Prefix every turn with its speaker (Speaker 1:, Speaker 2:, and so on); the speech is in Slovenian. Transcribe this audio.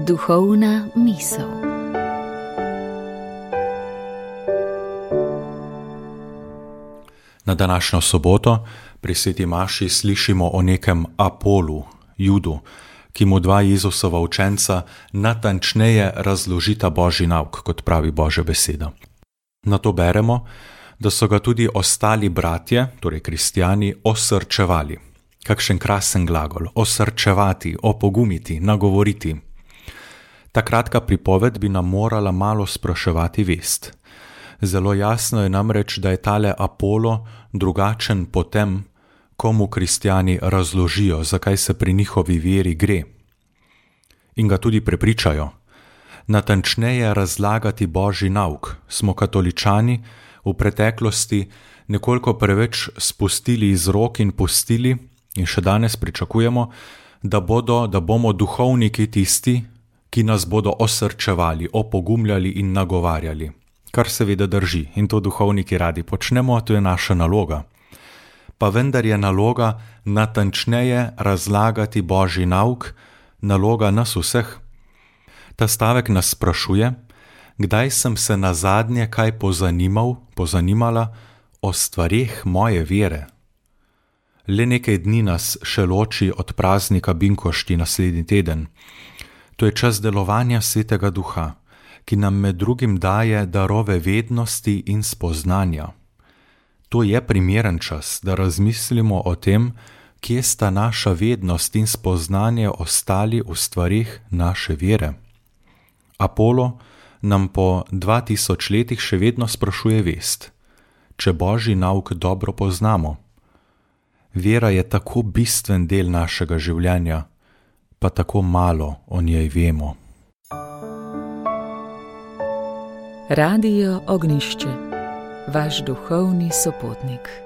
Speaker 1: Duhovna misel.
Speaker 2: Na današnjo soboto pri sveti maši slišimo o nekem Apolu, Judu, ki mu dva Jezusova učenca natančneje razložita Božji nauk, kot pravi Božja beseda. Nato beremo, da so ga tudi ostali bratje, torej kristjani, osrčevali. Kakšen krasen glagol, osrčevati, opogumiti, nagovoriti. Ta kratka pripoved bi nam morala malo spraševati vest. Zelo jasno je namreč, da je tale Apolo drugačen po tem, komu kristjani razložijo, zakaj se pri njihovi veri gre. In ga tudi prepričajo. Natančneje razlagati Božji nauk smo katoličani v preteklosti nekoliko preveč spustili iz rok in pustili in še danes pričakujemo, da bomo duhovniki tisti, ki nas bodo osrčevali, opogumljali in nagovarjali. Kar seveda drži in to duhovniki radi počnemo, to je naša naloga. Pa vendar je naloga natančneje razlagati Božji nauk, naloga nas vseh. Ta stavek nas sprašuje, kdaj sem se nazadnje kaj pozanimala o stvareh moje vere. Le nekaj dni nas še loči od praznika Binkošti naslednji teden. To je čas delovanja Svetega Duha, ki nam med drugim daje darove vednosti in spoznanja. To je primeren čas, da razmislimo o tem, kje sta naša vednost in spoznanje ostali v stvarih naše vere. Apolo nam po 2000 letih še vedno sprašuje vest, če Božji nauk dobro poznamo. Vera je tako bistven del našega življenja, pa tako malo o njej vemo.
Speaker 1: Radio Ognjišče, vaš duhovni sopotnik.